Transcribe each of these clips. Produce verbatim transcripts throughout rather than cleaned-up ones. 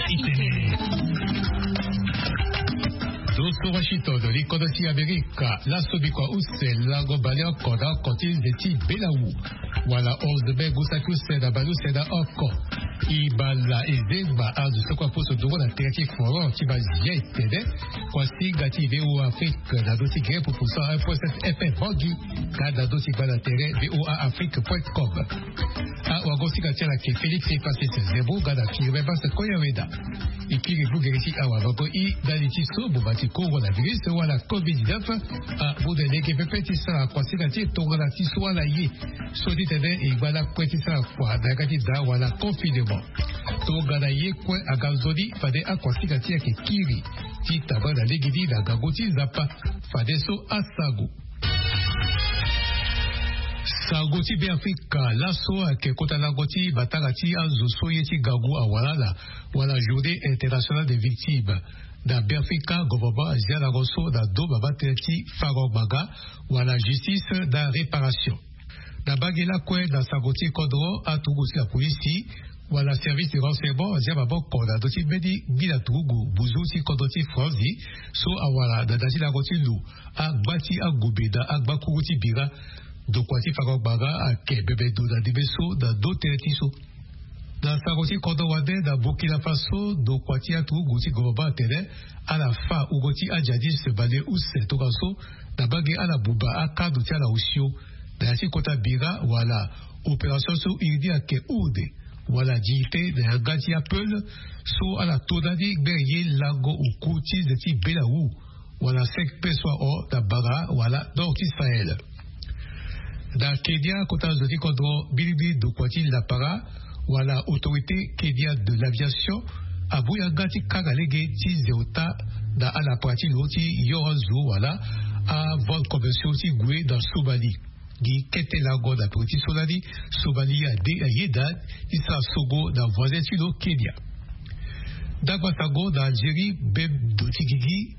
Itene. Zo so Washington, li kodro ti Amerika, laso bikua use lango baleoko na oko ti nze ti belawu. Wala onze mai, gusaki use na baleuse na oko. E bala e zengba azo so kue aposo nduru na tere ti forum ti bazia etene. Kuasinga ti V O A Afrique na do ti gere pupu so un point sept F M Bangui. Ka na do ti gba na tere V O A Afrique point com. Awagosinga ti ala ke Félix Francis Zembo nga na Firmin Basse Koyaweda. E kiri vugere ti awavango i ndali ti so boma ti coronavirus wala covid dix-neuf amu na lege pepe ti sara kuasinga ti e tongana ti so ala ye. So ti tene e ngba lakue ti sara kua na yanga ti daa wala confinement. Tongana ye kue aga nzoni fade akuasinga ti e ayeke kiri ti tama na legeni na ngangu ti Nzapa. Fade so asango. Sango ti Beafrika, laso ayeke kota lango ti matanga ti azo so ye ti ngangu awara ala wala Journée Internationale des Victimes. Na Beafrika, gouvernement azia lango so na ndo mama tënë ti fango ngbanga wala justice na réparation. Na mbage lakue, na sango ti kodro, aturugu ti la polisi wala service de renseignement azia maboko na ndö ti mbeni ngbila turugu buzu ti kodro ti Franzi so awara na da ti lango ti lo, angba ti angombe na angbakuru ti bira. Ndokua ti fango ngbanga ayeke bebe ndo na ndembe so na ndö tënë ti so. Na sango ti kodro wande, na Burkina Faso, ndokua ti aturugu ti gouvernement atene ala fa wungo ti ajihadiste baleuse tongaso na mbage ala buba akando ti ala osio na ya ti kota bira wala opération so iri ni ayeke Ourde wala Dignité na yanga ti apeul so ala to ndani gbere ye lango oku ti nze ti belawu wala cinq P so ahon na bara wala nord ti Sahel. Na Kenya, kota zo ti kodro mbilimbili ndokua ti lapara wala Autorité Kenya de l'Aviation amu yanga ti kanga lege ti ze ota na alapara ti lo ti yoro azo wala avente commerciaux ti gue na Somalie. Gi kete lango na peko ti so lani Somalie ade ayeda ti sara sogo na voisin ti lo Kenya. Ndagba sango na Algérie, be ndo ti gigi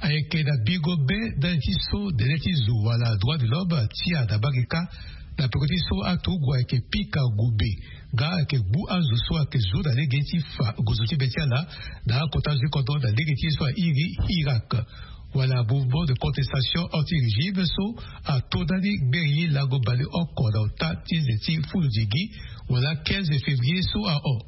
ayeke na bingo be ndali ti so dele ti zo wala droit de l'homme ti ya na mbage kâ. Na peko ti so aturugu ayeke pika ngombe nga ayeke gbu azo so ayeke zo na lege ti fa gozo ti be ti ala na akota zo ti kodro na lege ti ye so airi Irak. Wala mouvement de contestation anti-régime so ato ndani gbere ye lango baleoko na ota ti nze ti fulu dingi wala quinze février so ahon.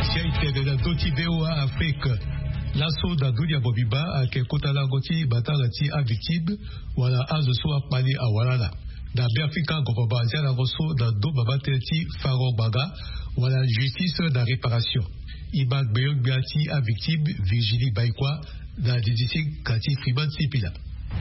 Sia itene na ndö ti V O A Afrique. Laso na dunia mobimba ayeke kota lango ti matanga ti avictime wala azo so akpali awara ala. Na Beafrika, gouvernement azia lango so na ndo mama tënë ti fango ngbanga wala justice na réparation. E ma gbeyo-gbia ti avictime Virginie Baïkoi na didisi ka ti Freeman Sipila.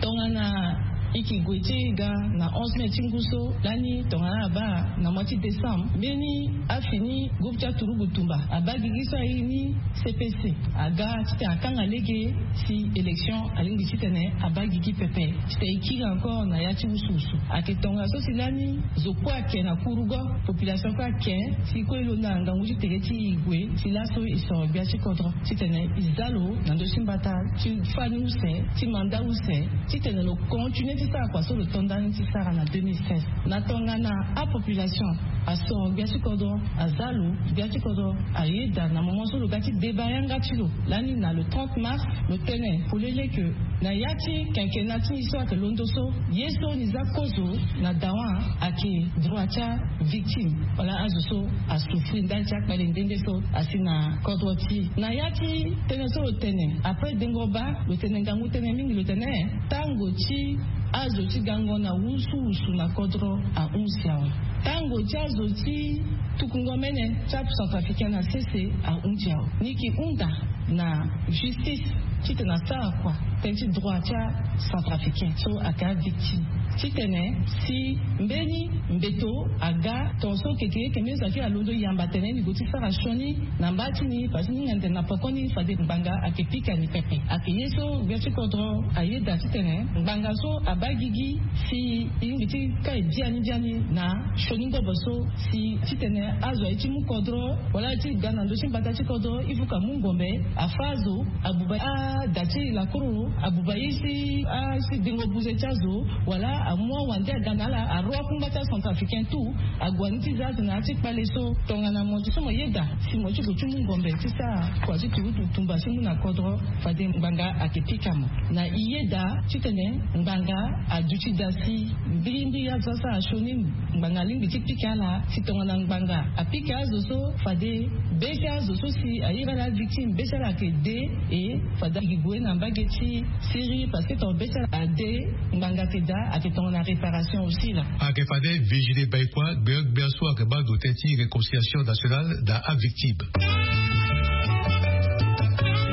Tongana e ke gue ti e ga na onze mai ti ngu so lani, tongana abaa na mois ti décembre, mbeni afini groupe ti aturugu tumba abaa gigi so airi ni C P C aga titene akanga lege si élection alingbi titene abaa gigi pepe. Titene e kiri encore na ya ti wusuwusu. Ayeke tongaso si lani zo kue ayeke na kurugo, population kue ayeke si kue e londo na ngangu ti tere ti e gue si laso e soro gbia ti kodro titene e za lo na ndö ti mbata ti fani use, ti manda use, titene lo continue ti sara kua so lo to ndani ti sara na deux mille seize. Na tongana apopulation asoro gbia ti kodro, aza lo, gbia ti kodro ayeda na moment so lo ga ti deba yanga ti lo lani na le trente mars, lo tene polele ke na ya ti quinquennat ti e so ayeke londo so, ye so ni za kozo na dawa ayeke droit ti avictime wala azo so asouffrir ndali ti akpale nde nde so asi na kodro ti e. Na ya ti tënë so lo tene après dengo baa, lo tene ngangu tënë mingi, lo tene tango ti azo ti gango na wusuwusu na kodro ahunzi awe. Tango ti azo ti tukungo mene ti acentrafricain na sese ahunzi awe. Ni yeke hunda na justice titene asara kua tënë ti droit ti acentrafricain so ayeke avictime. Titene si mbeni mbeto aga tongaso keke eke mio zaki alondo yamba tene ni go ti sara sioni na mba ti ni parce que ni nganzere na poko ni fade ngbanga ake pika ni pepe ake ye so gbia ti kodro ayeda titene ngbanga so aba gigi si e lingbi ti kai biani biani na sioni ngobo so si titene azo aye ti mu kodro wala aye ti ga na ndö ti mbata ti kodro il faut ka mu ngombe afa azo abuba ada ti lakuru abuba ye si asi dengo buze ti azo wala amu awande aga na ala aro akungba ti acentrafricain tout ague ni ti za azo na ya ti kpale so tongana mo ti so mo yeda si mo ti gue ti mu ngombe ti sara kua ti turutu tumba ti mu na kodro fade ngbanga ake pika mo na e yeda titene ngbanga aduti da si mbilimbili azo asara sioni ngbanga alingbi ti pika ala si tongana ngbanga apika azo so fade be ti azo so si aye ala avictime be ti ala ake de e fade agi gue na mbage ti siri parce que tongana be ti ala ade ngbanga ake da ake tongana réparation aussi la. Ake fade vigile baikua gbeogbia so ake baa ndo tënë ti réconciliation nationale na avictime.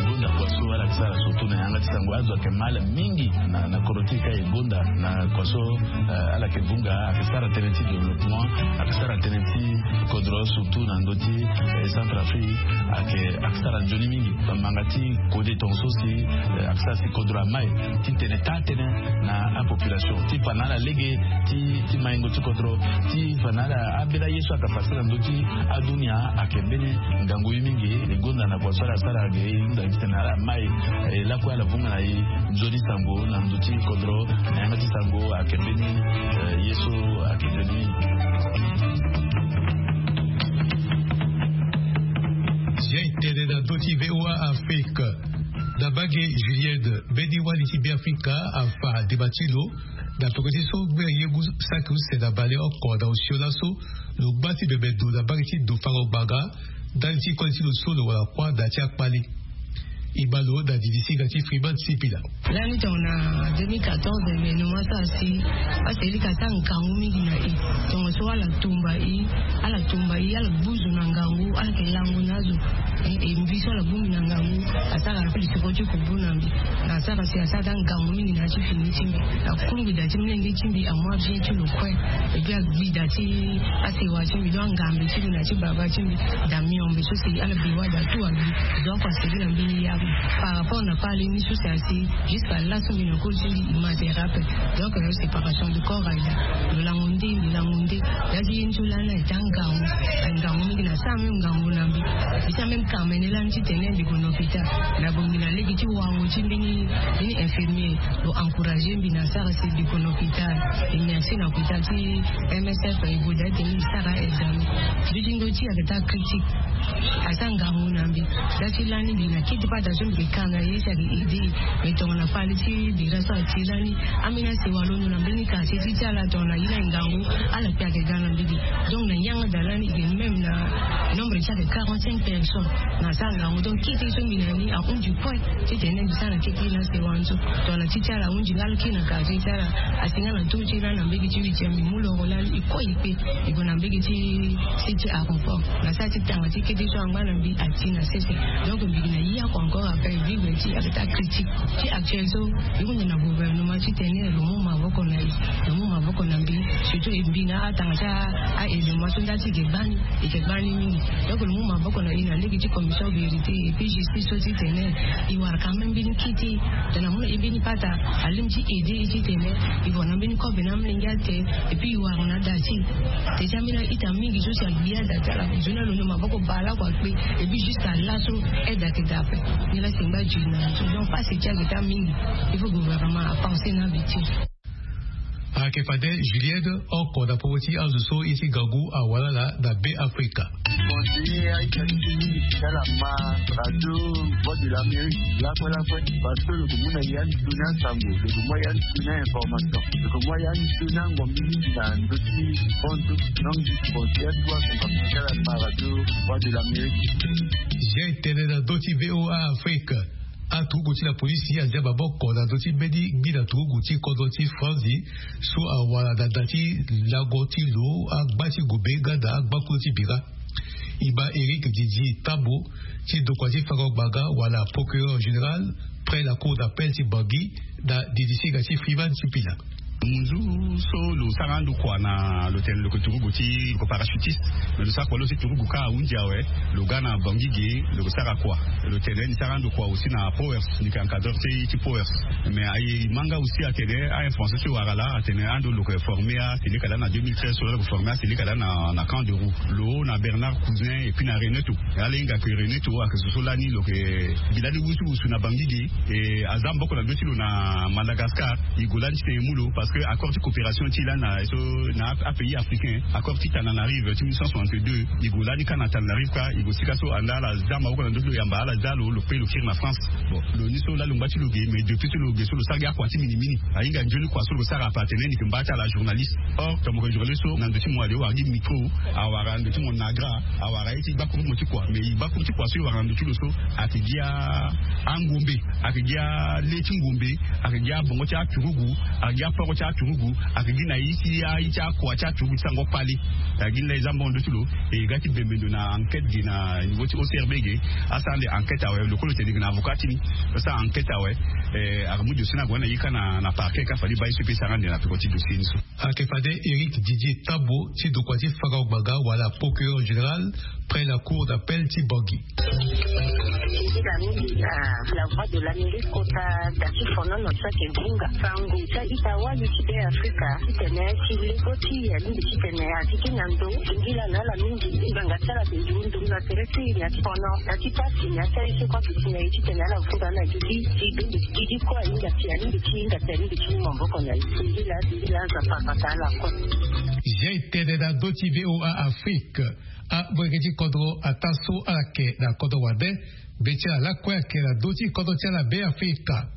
Gonda kua so ala ke sara surtout na yanga ti sango azo ake mal mingi na kodro ti e ka e gonda na kua so ala ke vunga ake sara tënë ti développement ake sara tënë ti kodro surtout na ndö ti centre afrique ake sara nzoni mingi. Manga ti kode tongaso si ake sara si kodro amai titene taa tënë na apopulation ti fa na ala lege ti maingo ti kodro ti fa na ala abela ye so aka fasi na ndö ti adunia ake mbeni ngangu ye mingi. E gonda na kua so ala sara age e hunda titene ala mai e lakue ala vunga na e nzoni sango na ndö ti kodro na yanga ti sango ake mbeni ye so ake nzoni mingi. Zia e tene na ndö ti voa afrique na mbage julienne mbeni wali ti beafrika afa dema ti lo na tokua ti so ngbene yengu saki use na baleoko na osio laso lo ngba ti bebe ndo na mbage ti ndo fango ngbanga ndali ti koli ti lo so lo wara kuâ na ya ti akpali. E baa lo na didisinga ti freeman sipila. Lani tongana deux mille quatorze me no ma sara si aselika asara ngangu mingi na e. Tongaso ala tumba e ala tumba e ala gbuzu na ngangu ala ke langu na azo. E mbi so ala bongbi na ngangu asara lisoko ti kubu na mbi na asara si asara daa ngangu mingi na ya ti fini ti mbi na kungbi daa ti molenge ti mbi amu abien ti lo kue. Ebi agbi daa ti asewa ti mbi donc angambe ti mbi na ya ti baba ti mbi daa miombe so si ala bi wada tout abi. Donc aseli na mbeni yabi par rapport na parle ni so si asi jusqu'à laso mbi na koli ti mbi imate rappel. Donc séparation de corps aida lo lango nde mbi lango nde. Ya ti ye ni so lani aita ngangu angangu mingi na sara même ngangu na mbi. Mbi sara même kamene lani titene mbi gue na hôpital na bongi na lege ti wango ti mbeni mbeni infirmier lo encourager mbi na sara si mbi gue na hôpital. E merci na hôpital ti msf e gue daa tene mbi sara examen. Mbi ti ndo ti ake taa critique. Asara ngangu na mbi. Za ti lani mbi na kete pata so mbi ke ka na ye si ake aide. Me tongana fali ti bira so ati lani ambeni asewa londo na mbeni quartier ti ti ala tongana ye na ngangu ala kpe ake ga na mbi ge. Donc na yanga daa lani e ke même na nombre ti ake quarante-cinq personnes na asara ngangu. Donc kete so mbi na ni ahunzi kue titene mbi sara na kete na asewa ni so. Tongana ti ti ala ahunzi nga ala kiri na quartier ti ala asi nga na tuu ti lani na mbege ti huitième mbi mu loro lani e kue e kpe. E gue na mbege ti six ti aéroport na sara ti tanga ti kete so angba na mbi ati na sese. Donc mbi gi na ye oko encore après vivre ti ake taa critique ti actuel so. E hunda na gouvernement titene lo mu maboko na e lo mu maboko na mbi. Surtout e mbi na atanga ti aélément so nda ti e ke gbani e ke gbani mingi. Donc lo mu maboko na e na lege ti commission vérité et puis justice so titene e wara quand même mbeni kete. Tongana mu na e mbeni pata alingbi ti aide e titene e gue na mbeni kobe na amolenge ate. Et puis e wara na da ti e. Te ti ambeni a-ita mingi so si agbi ada ti ala nzoni alondo maboko baleoko akpe. Et puis jusqu'à laso aide ake daa ape. Ni la si ngba diri na zo donc pasi ti ake taa mingi. Il faut gouvernement apenser na abe ti e. Ayeke fade julienne oko na popo ti azo so ye ti ngangu awara ala na be afrika. Continuer a-ita ti e mingi ti ala ma radio voix de l'amérique lakue lakue. Parce que lo ke mu na ya ni tuni asango lo ke mu ya ni tuni a-information lo ke mu ya ni tuni angombi mingi na ndö ti fondu. Donc je pense ya ti wa son kapa ti ala ma radio voix de l'amérique. Zia e tene na ndö ti voa afrique. Aturugu ti la polisi azia maboko na ndö ti mbeni ngbina turugu ti kodro ti franzi so awara na da ti lango ti lo agba ti gobe nga na agbakulu ti bira. E ma eric didi tambo ti ndokua ti fango ngbanga wala procureur général près la cour d'appel ti bangi na didisinga ti freeman ti pila. Munzu so lo sara ando kua na lo tene lo ke turugu ti lo ke parachutiste. Mais lo sara kua lo si turugu ka ahunzi awe. Lo ga na bangi ge lo ke sara kua. Lo tene ni sara ando kua aussi na powers ni ke encadreur ti ti powers. Mais aye ma nga aussi atene a influence so e wara laa atene ando lo ke forme aseleka laa na deux mille treize so laa lo ke forme aseleka laa na camp de roue lo na bernard cousin et puis na reneto. Ala hinga ke reneto ake zo so lani lo ke gi lani wusuwusu na bangi ge. E aza maboko na ndö ti lo na madagascar. E gue lani titene e mu lo parce que accord ti coopération ti e lani na so na apays africain accord ti tananarive ti mille neuf cent soixante-deux. E gue lani kâ na tananarive kâ e gue sika so anda ala za maboko na ndö ti lo yamba ala za lo lo pe lo kiri na france. Bon, lo ni so laa lo ngba ti lo ge mais depuis so lo ge so lo sara gi akua ti minimini. Ahinga nzoni kua so lo sara ape atene ni ke mba ti ala journaliste. Or tongana mo ke journaliste so na ndö ti mo ale wara gi micro, awara ndö ti mo nagra, awara ye ti gbakuru mo ti kua mais gbakuru ti kua so e wara na ndö ti lo so ake gi angombe, ake gi ale ti ngombe, ake gi abongo ti aturugu, ake gi aporo ti aturugu, ake gi na ye ti aye ti akua ti aturugu ti sango kpale. Ake gi ni laa e za mbongo ndö ti lo. E ga ti bembe ndo na enquête ge na niveau ti ocrb ge. Asara nde enquête awe lo kue lo tene ge na avocat ti ni. Asara enquête awe. Ake mu dossier ni ague na ye kâ na parquet kâ fade baa ye so e pe sara nde na peko ti dossier ni so. Ake fade eric didier tabo ti dokua ti faka gbanga wala procureur général près la cour d'appel ti bangi. Ita mingi na la voix de l'amérique kota da ti fonono so ayeke bunga sango ti a-ita wali ti be afrika titene ti lego ti e alingbi titene ati ti na ndo. Singila na ala mingi ngbanga ti ala ti nduru nduru na tere ti e na ti fono na ti pasi na ti aye so kue ake ti na e titene ala funda na gigi ti bende gigi kue ahinga ti alingbi ti hinga ti alingbi ti mu maboko na e. Singila singila aza papa ta ala kue. Zia e tene na ndö ti voa afrique. Amolenge ti kodro ataa so ala yeke na kodro wande. Be ti ala lakue ayeke na ndö ti kodro ti ala be afrika.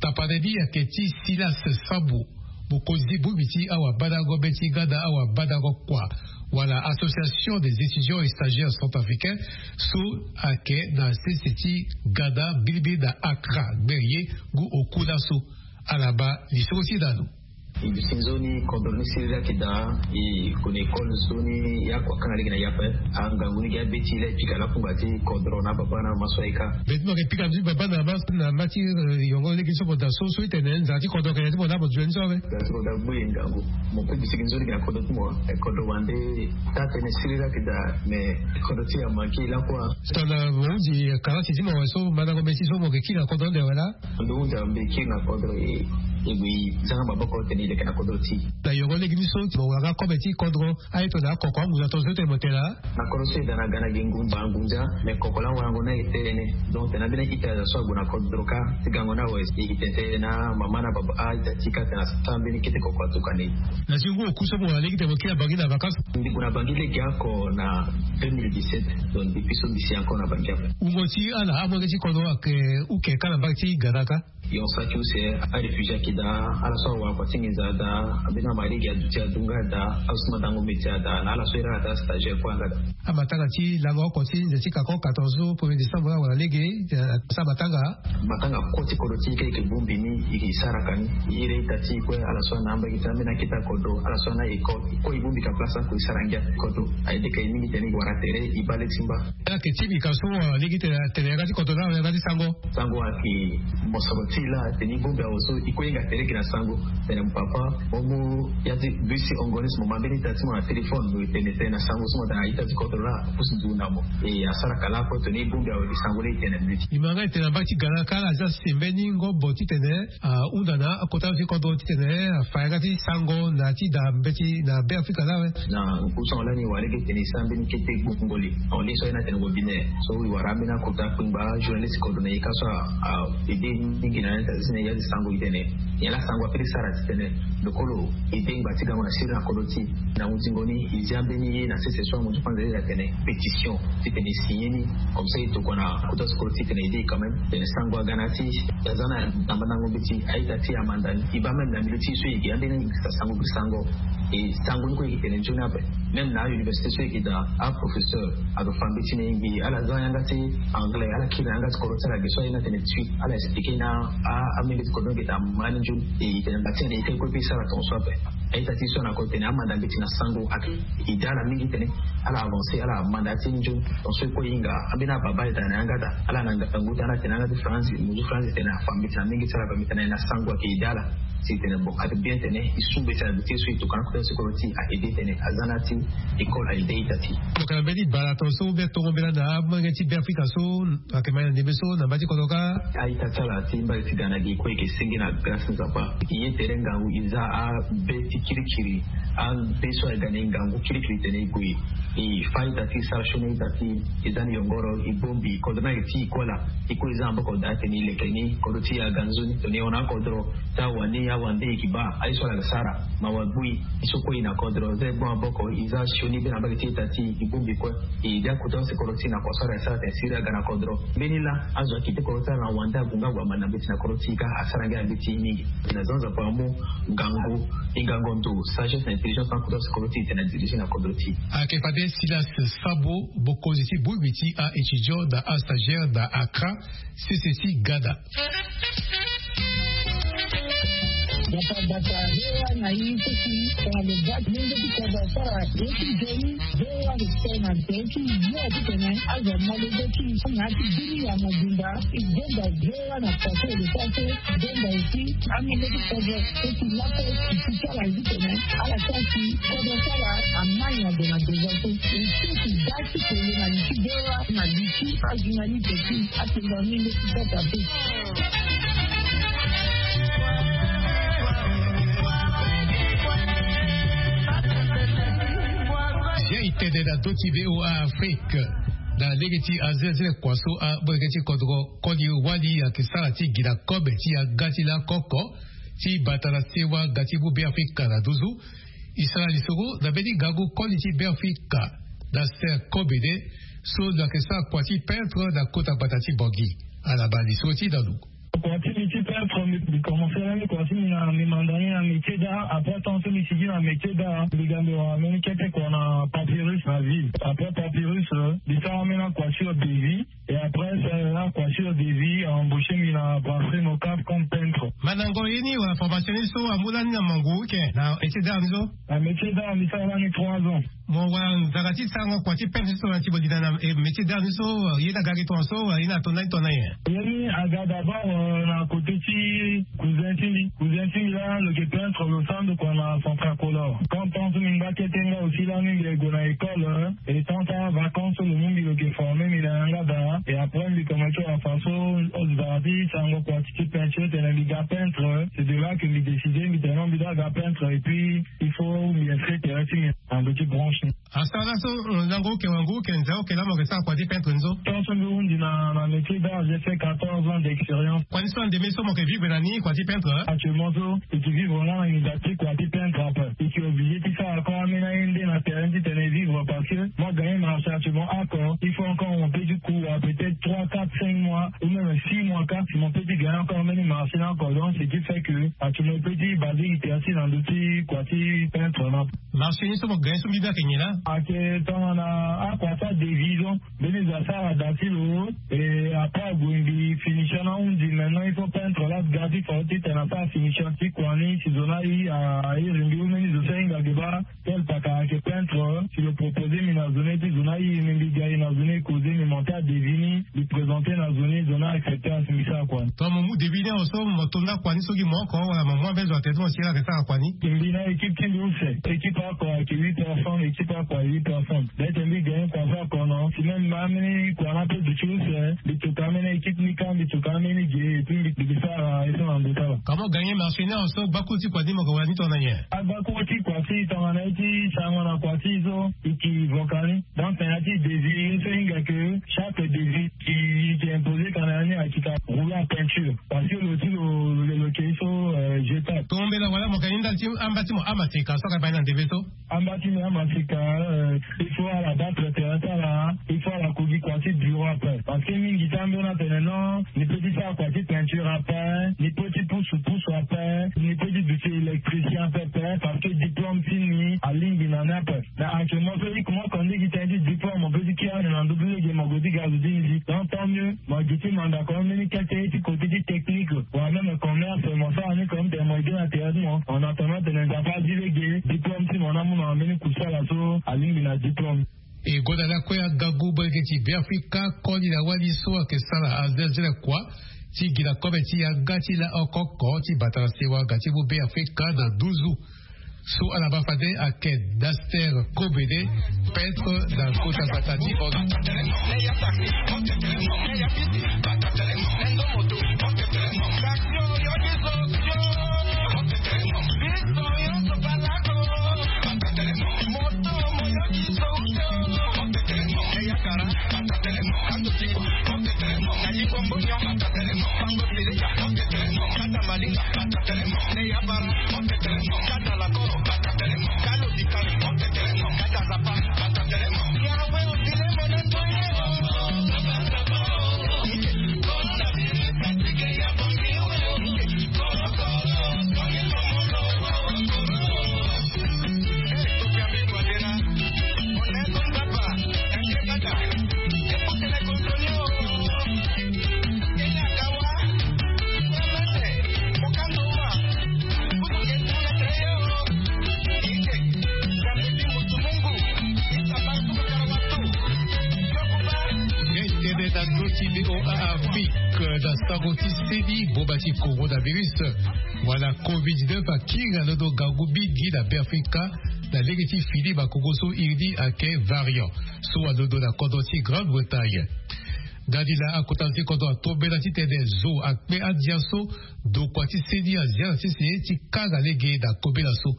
Tapande ni ayeke ti silas sambu, mokonzi ti bongbi ti awabandango be ti ganda awabandango kua wala association des étudiants et stagiaires centrafricains so ayeke na sese ti ganda mbilimbili na akra gbere ye. Ngu oku laso ala baa lisoro ti na lo. E duti nzoni kodro ni siriri ayeke daa. E gue na école nzoni ya kua kanga lege na ya ape. Angangu ni gi abeti laa e pika lakungba ti kodro na ababa na mama so ayeke. Be ti mo yeke pika nzoni baba na mama na mama ti yongo lege so mo daa so so ti tene nzara ti kodro ayeke na ya ti mo laa mo dunia ni so awe. Nzara ti kodro agbu e ngangu. Mo pe duti gi nzoni gi na kodro ti mo. Kodro wande taa tene siriri ayeke daa. Mais kodro ti e amanke lakua. Tongana mo hunzi karati ti mo awe so mandango mbeti so mo yeke kiri na kodro ande awe laa. Ndo hunzi ambeki na kodro e. E gue e zanga maboko tene e leke na kodro ti e. Na yongo lege ni so ti mo wara nga kobe ti kodro. Aye tongana akoko angunza tongaso ti tene mo tene laa. Na kodro so e daa na ga na gi ngunza angunza. Me koko laa warango na e tene. Donc tene ambeni ita aza so ague na kodro kâ ti gango ni awe. E gi tene tene na mama na baba a-ita ti e kâ tene asara mbeni kete koko atuka na e. Na si ngu oku so mo wara lege tene mo kiri na bangi na vacances. Mbi gue na bangi lege oko na deux mille dix-sept. Donc depuis so mbi si encore na bangi ape. Wungo ti ala amolenge ti kodro ayeke uke kâ na mbage ti gada kâ. Yo saki use aréfugie ayeke daa. Ala so awara kua ti nginza daa. Ambeni amari gi aduti adu nga daa. Azo ti mandango mbeti adaa na ala so iri ala daa stagiaire kue anga daa. Amatanga ti lango oko ti nze ti kako quatorze so premier décembre awara lege. Asara matanga. Matanga kue ti kodro ti e kâ e yeke bongbi ni. E yeke sara ka ni. Iri ita ti e kue ala so ana ambeni ti ambeni akete akodro ala so ana école e kue e bongbi ka place ako e sara ngia. Kodro aye deke e mingi tene e wara tere e baa le ti mba. Ala yeke ti mbi ka so wala lege tene atene yanga ti kodro na yanga ti sango. Sango ayeke mosoro ti e laa tene e bongbi awe so e kue e hinga tere gi na sango. Tene mo papa mo mu ya ti bus ti ongo ni so mo ma mbeni ita ti mo na téléphone mo e tene tene na sango so mo daa na ita ti kodro laa apusu nzungu na mo. E asara ka laa kue tene e bongbi awe gi sango laa e tene na mbeti. E ma nga e tene na mbage ti ga laa kâ ala zia si mbeni ngombo titene ahunda na akota ti kodro titene afa yanga ti sango na ti da mbeti na be afrika laa awe. Na ngu so lani wara lege tene e sara mbeni kete gbongoli. Au lieu so aye na tene webinaire so e wara ambeni akota kpengba journaliste kodro na e kâ so a aide mingi na ya ti sango e tene nyen laa sango apeut ti sara titene lo kue lo aide ngba ti gango na siriri na kodro ti e. Na hunzingo ni e zia mbeni ye na sese so amu ti panze ye atene pétition titene e signé ni. Comme ça e tokua na kota ti kodro ti e titene e aide e quand même titene sango aga na ya ti e. Aza na mandango mbeti a-ita ti e amanda ni e baa même na milieu ti e so e yeke ambeni sango gi sango. E sango ni kue e yeke tene nzoni ape. Même na université so e yeke daa aprofesseur ado fa mbeti na e ngbii ala za yanga ti anglais ala kiri na yanga ti kodro ti ala ge so aye na tene ti ala expliqué na amembeti kodro ni ge daa ma ni nzoni. E tene mba ti tene e kue e pe e sara tongaso ape. A-ita ti e so na kodro tene amanda mbeti na sango ayeke daa ala mingi tene ala avancé ala manda ya ti e nzoni. Tongaso e kue e hinga ambeni ababa e daa na yanga daa ala na ngangu ti ala tene yanga ti france mo zu france tene afa mbeti na mingi ti ala ape mbi tene na sango ayeke daa ala. Si tene bon ate bien tene e su mbeti na bete so e tokana kota so e kolo ti a aide tene aza na ti école a aide ita ti. Tokana mbeni bala ton so ou bien tongo mbela na amolenge ti be afrika so ake mai na ndembe so na mba ti kodro kâ. A-ita ti ala ti mbage ti ga na gi kue e ke senge na grâce ti nzapa. E ye tere ngangu e za abe ti kirikiri. Abe so aga na e ngangu kirikiri tene e gue e fa ita ti sara sioni ita ti e za ni yongoro e bongbi kodro ni ayeke ti e kue laa. E kue e za maboko daa tene e leke ni kodro ti e aga nzoni tene e hon na akodro. Ti awande awande e yeke baa aye so ala yeke sara. Mawa gbu e. E so kue e na kodro za e gbu maboko e za sioni be na mbage ti ita ti e e bongbi kue. E lia kota ose kodro ti e na kua so ala yeke sara tene siriri aga na kodro. Mbeni laa azo ayeke te kodro ti ala na wande ague nga ague amani na mbeti na kodro ti e kâ asara ngia na mbeti mingi. Na za nzapa amu ngangu e ngangu ndo sagesse na intelligence na kota ose kodro ti e tene adirige na kodro ti e. Ayeke fade Silas Sabo, mokonzi ti bongbi ti a-étudiant na astagiaire na Accra, C C C Ghana. Gbata gbata, V O A na e so si tongana lo ga lenge ti kodro asara ye ti nzoni. V O A lo tene na nze ti yo ti tene azo amolenge ti e so na ya ti bini ya mobimba. E gonda V O A na kua so e lo sara so. Gonda aussi amolenge ti kodro so si laso e si ti ala ye ti tene ala sara si kodro ti ala amai na ndo na ndo so. E so si ga ti kolo na li ti V O A na li ti ajournaliste ti atengo amolenge ti kota pe. Zia e tene na ndö ti V O A Afrique. Na lege ti azelazela kua so amolenge ti kodro koli wali ayeke sara ti gi na kobe ti yanga ti lakoko ti bata na sewa ga ti mu Beafrika na nduzu. E sara lisoro na mbeni ngangu koli ti Beafrika na se kobe de so lo yeke sara kua ti peintre na kota gbata ti Bangui. Ala baa lisoro ti e na lo. Kua ti mbi ti peintre mbi, mbi commencé lani kua ti mbi na mbi manda ni na métier d'art. Après temps so mbi sigi na métier d'art mbi ga mbi wara mbeni kete kua na Papyrus na ville. Après Papyrus, euh, mbi sara ambeni akua sur devis. Et après ça, akua sur devis a embauché mbi na brasserie Mocaf comme peintre. Mandango ye ni wala formation ni so amu lani na mangu ike na métier d'art ni so? Na métier d'art mbi sara lani trois ans. Mo wara nzara ti sarango kua ti peintre so na ti mo li na, na, eh, métier d'art ni so, eh, ye ni aga gi tongaso wala ye ni ato ndani tongana nyen? Ye ni aga d'abord, euh, na côté ti cousin ti mbi. Cousin ti mbi laa lo yeke peintre, lo sara ndo kua na Centracolor. Quand temps so mbi ngba kete nga aussi lani mbi yeke gue na école, euh, et temps ti avacance so lo mu mbi lo yeke former mbi na yanga daa. Et après mbi commencé wara façon, euh, nzara ti sarango kua ti ti peinture titene mbi ga peintre. C'est de là que mbi décidé mbi tene non mbi doit ga peintre et puis il faut mbi inscrire tere ti mbi na ndo ti branche ni. Asara laso, euh, lango oke wango oke nze oke laa mo yeke sara kua ti peintre ni so? Tant so mbi hundi na, na métier d'art, j'ai fait quatorze ans d'expérience. Kua ni so ande mbi so mo yeke vivre na ni kua ti peintre, hein? Actuellement so e yeke vivre nga na nginza ti kua ti peintre ape. E yeke obligé ti sara encore ambeni aye nde na terrain titene e vivre parce que moi gagner marché actuellement oko, il faut encore mon petit coup à peut-être trois, quatre, cinq mois ou même six mois, quatre, mon petit gagner encore ambeni marché ni oko. Donc ce qui fait que actuellement petit basé itersi na ndo ti kua ti peintre na. Marché ni so mo gagner so mbi bia yeke nyen laa? Ayeke tongana akua ti adévision. Mbeni zo asara da ti lo. Et après ague mbi finition na hundi, maintenant il faut peintre laa ga ti fao titene asara finition ti kua ni si zo ni aye, a iri mbi ou mbeni zo so ahinga ge baa. Tel paka ayeke peintre, si lo proposé mbi na zo ni ti zo ni aye mbi, mbi ga e na zo ni e causé mbi monté adévis ni. Mbi présenté na zo ni, zo ni accepté asi mbi sara kua ni. Tongana mo mu devis ni awe so mo to nda kua ni so gi mo oko wala mo mu ambeni zo atene ti mo si ala yeke sara kua ni? Mbi na équipe ti mbi use. Équipe oko ayeke huit personnes, équipe oko ayeke huit personnes. Peut-être mbi gagné kua so oko non. Si même mba ambeni kua ni ape duti use, mbi toka ambeni équipe ni kâ, mbi toka ambeni ge, et puis mbi, mbi sara ye so na ndo ti ala. Comment gagner marché ni awe so gbakuru ti kua ni mo yeke wara ni tongana nyen? Agbakuru ti kua ti tongana ye ti sarango na kua ti so e yeke voka ni. Donc na ya ti devis ye so e hinga ke chaque devis ki, ki imposé ka na ya ni ayeke ka rouleau à peinture. Parce que lo ti lo, lo, lo ke so, euh, jetable. Tombela wala mo ka ni ndali ti amba ti mo amaseka so aka baa ni na ndembe so. Amba ti mo amaseka, euh, il faut ala baa préparer ti ala, il faut ala ko gi kua ti bureau ape. Parce que mingi ti ambeni atene non, ni peut ti sara kua ti peinture ape, ni peut ti pusu pusu ape, ni peut ti duti électricien ape, parce que diplôme ti ni alingbi na ni ape. Mais actuellement so i kuma kua ni gi tënë ti diplôme, mo peut ti kiri ande na ndö ti lege mo gue ti ga zo ti ni si. Donc tant mieux mo gi ti manda kua mbeni kete ti côté ti technique wala même commerce, mo sara ni comme tene mo aidé na tere ti mo. En attendant tene Nzapa azi lege diplôme ti mo ni amu na mbeni kusala so alingbi na diplôme. E gonda lakue angangu molenge ti Beafrika koli na wali so ayeke sara azelazela kua. ti gi na kobe ti yanga ti la oko oko ti bata na sewa ga ti mu be afrika na nduzu. So ala baa fade ayeke Naster Kobede, peintre na kota bata ti Oga. Tene na ndö ti V O A Afrique, na sango ti seni, boma ti coronavirus wala covid dix-neuf akiri na londo ngangu mingi na Beafrika, na lege ti fini makongo so iri ni ayeke variant so alondo na kodro ti Grande-Bretagne. Ndani laa akota zo ti kodro atombela titene zo akpe andia so ndokua ti seni azia na sese ti kanga lege na kobela so.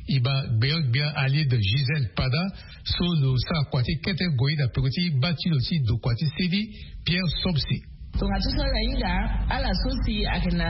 E baa gbenyo-gbia Alide Gisèle Pada so lo sara kua ti kete ngoi na peko ti mba ti lo ti ndokua ti seni, Pierre Somse. Tonga ti so ala hinga, ala so si ayeke na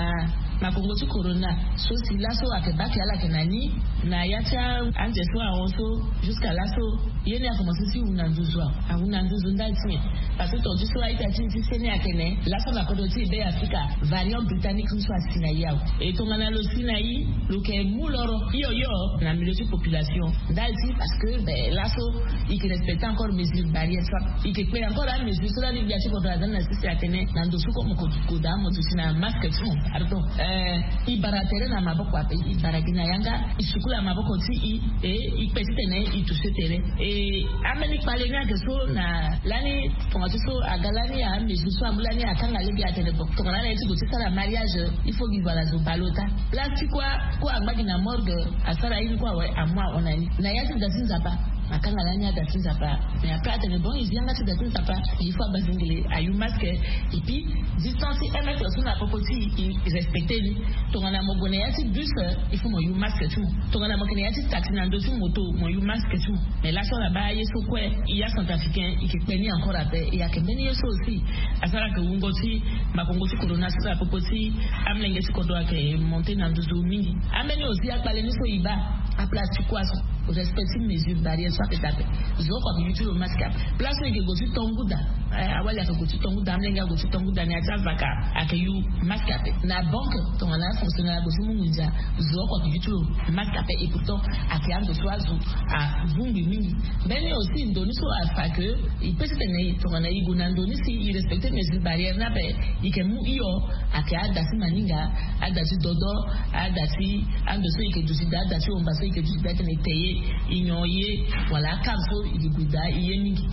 makongo ti corona so si laso ayeke baa ke ala yeke na ni na ya ti anze so ahon so, jusqu'à laso ye ni akomanse ti hu na nduzu awe, ahu na nduzu ndali ti nyen? Parce que tonga ti so a-ita ti e ti seni ayeke ne laso na kodro ti e Beafrika, variant britannique ni so asi na e awe. E tongana lo si na e, lo yeke mu loro hio hio na milieu ti population ndali ti, parce que ben laso e yeke respecter encore mesure barrière so, e yeke kpe encore amesure so lani gbia ti kodro aza ni na sese atene na ndo so kue mo ko daa mo duti na masque ti mo. Pardon. Eh, e bara tere na maboko ape, e bara gi na yanga, e sukula maboko ti e, e kpe titene e toucher tere. E ambeni kpale ni ayeke so na lani tonga ti so aga lani amesure so amu lani akanga lege atene bon, tongana ala ye ti gue ti sara mariage, il faut gi gue ala zo bale ota. Place ti kue, kue angba gi na morgue, asara ye ni kue awe, amu ahon na ni na ya ti da ti Nzapa. Akanga lani ada ti Nzapa. Mais après atene bon, e zi yanga ti da ti Nzapa, il faut abazingele ayu masque. Et puis distance ti un mètre so na popo ti e, e respecter ni. Tongana mo gue na ya ti bus, il faut mo yu masque ti mo. Tongana mo yeke na ya ti taxi na ndö ti moto, mo yu masque ti mo. Mais laso ala baa ye so kue, e ya centrafricain e yeke kpe ni encore ape. E yeke mbeni ye so aussi asara ke wungo ti makongo ti corona so na popo ti amolenge ti kodro ayeke monter na nduzu mingi. Ambeni aussi akpale ni so e baa, aplace ti kue so, respect ti mesure barrière so ape dape. Zo oko ayeke yu ti lo masque ape. Place so e yeke gue ti tongu da, eh, awali ayeke gue ti tongu da, amolenge ague ti tongu da na ya ti avaka, ayeke yu masque ape. Na banque, tongana afonctionnaire ague ti mu nginza, zo oko ayeke yu ti lo masque ape. Et pourtant ayeke ando so azo avungbi mingi. Mbeni aussi ndo ni so afa ke e pe titene tongana e gue na ndo ni si e respecter mesure barrière ni ape, e yeke mu hio. Ayeke ada ti maninga, ada ti dodo, ada ti ando so e yeke duti daa, ada ti homba so e yeke duti daa titene e te ye, e nyon ye, wala akave so e yeke gue daa e ye mingi.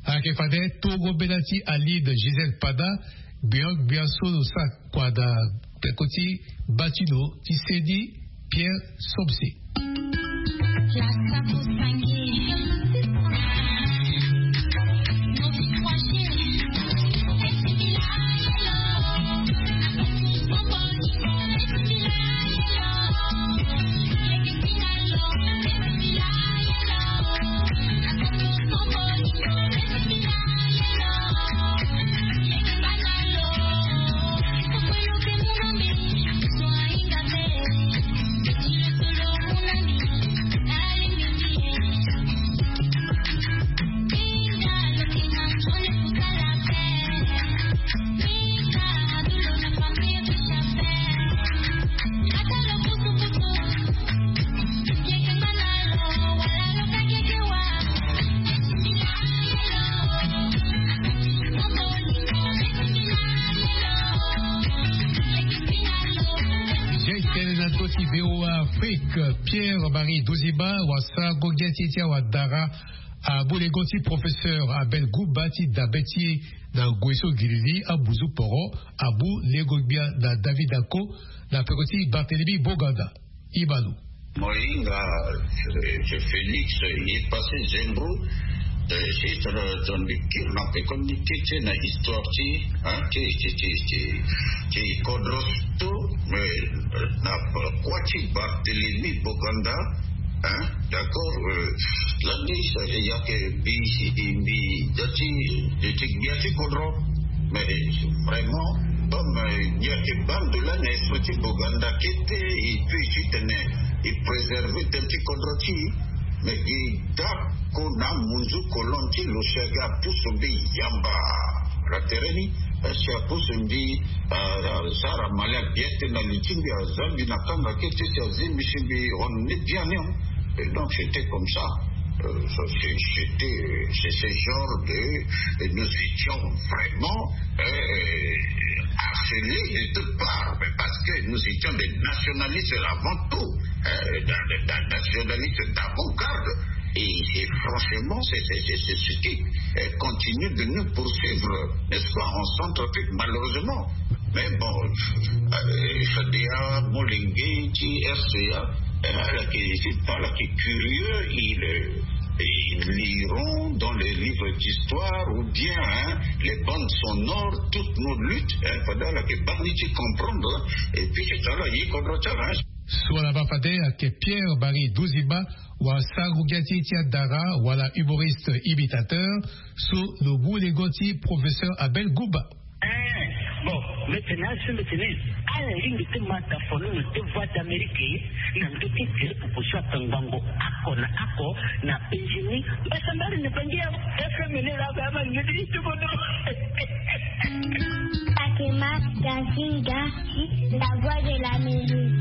Ayeke fade tongo mbela ti Alide Gisèle Pada, gbenyo-gbia so lo sara kua na peko ti mba ti lo ti seni, Pierre Somse. Ngai tene na ndö ti V O A Afrique, Pierre Marie Dozimba, wasa gongia ti e ti awa dara. Abu lengo ti professeur Abel Gumba ti dabe ti e na ngoi so gilili abuzu poro. Abu lengo gbia na David Ako na peko ti Barthélemy Boganda. Imanu. Moinga, Félix, il est passé Zembro, c'est ton, ton lecture na peko ni kete na histoire ti hein, ti ti ti ti ti kodro to mais na kua ti Barthélemy Boganda. Hein, d'accord. Lani ya ke bi si di mbi dati de ti gbia ti kodro. Mais vraiment, comme il y a des bandes de la naissance ti Boganda qui était et puis si tenait et préserver tel ti kodro ti mais il da ko na munzu kolon ti lo sega pusu mbi yamba. La tereni si apusu mbi sara mali abiete na li ti mbi azambi na kanga kete ti azimbi si mbi on ne bien non. Et donc c'était comme ça. C'était c'est ce genre de et nous étions vraiment harcelés de toutes parts mais parce que nous étions des nationalistes avant tout, d'un nationaliste d'avant-garde. Et franchement c'est ce qui continue de nous poursuivre, n'est-ce pas, en Centrafrique malheureusement. Mais bon, fda molenge ti RCA, ala ki curieux, ils liront dans les livres d'histoire ou bien les bandes sonores toutes nos luttes. Fda ala ki bani ti comprendre et puis ti tala ye kodro ti ala. So ala baa fade ayeke Pierre Marie Duziba, wala sango gbia ti e ti adara wala humoriste imitateur. So lo mu lengo ti professeur Abel Gumba. Bon, mbi tene aso mbi tene ala lingbi ti ma tafono na te voix d'Amérique na ndö ti tele popo so akangbango ako na ako na penjini. Mbasambari na bangi ya FM ni laa ba ama lingbi ti ti kodo. Takema Gazinga, la voix de l'Amérique.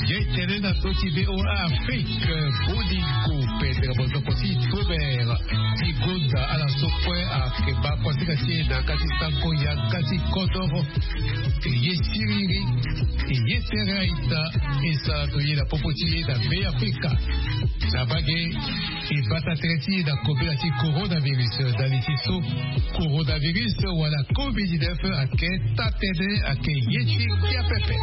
Ye tene na so ti VOA Afrique. Bolingo pendre bozoko ti tober ti gonda ala so kue ayeke baa kuasinga ti e na yanga ti sango yanga ti kodoro. Ye siriri ye tere aita. E sara to ye na popo ti ye na Be Afrika. Na mbage e bata tere ti e na kobela ti coronavirus. Na li ti so coronavirus wala covid dix-neuf ayeke taa tënë ayeke ye ti kia pepe.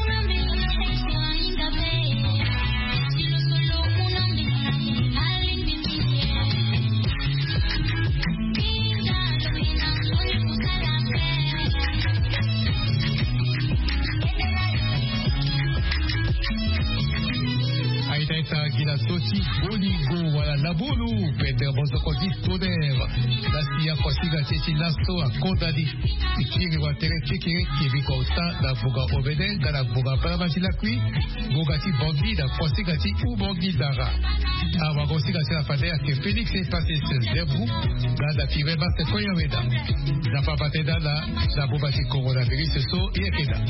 Aita ita gi na so ti bolingo wala labulu pendre bozoko ti toner. Na si akuasinga ti e ti laso akonda ni. Ti kiri watere ti kiri kiri kota na ngbonga omene nga na ngbonga balama ti lakui. Ngbonga ti bongi na kuasinga ti umongi dara. Awagosinga ti ala fade ayeke Félix Epasis Zembro. Nga na Firmin Masse Koyaweda. Na papa tenda na na boma ti coronavirus so ye yeke daa.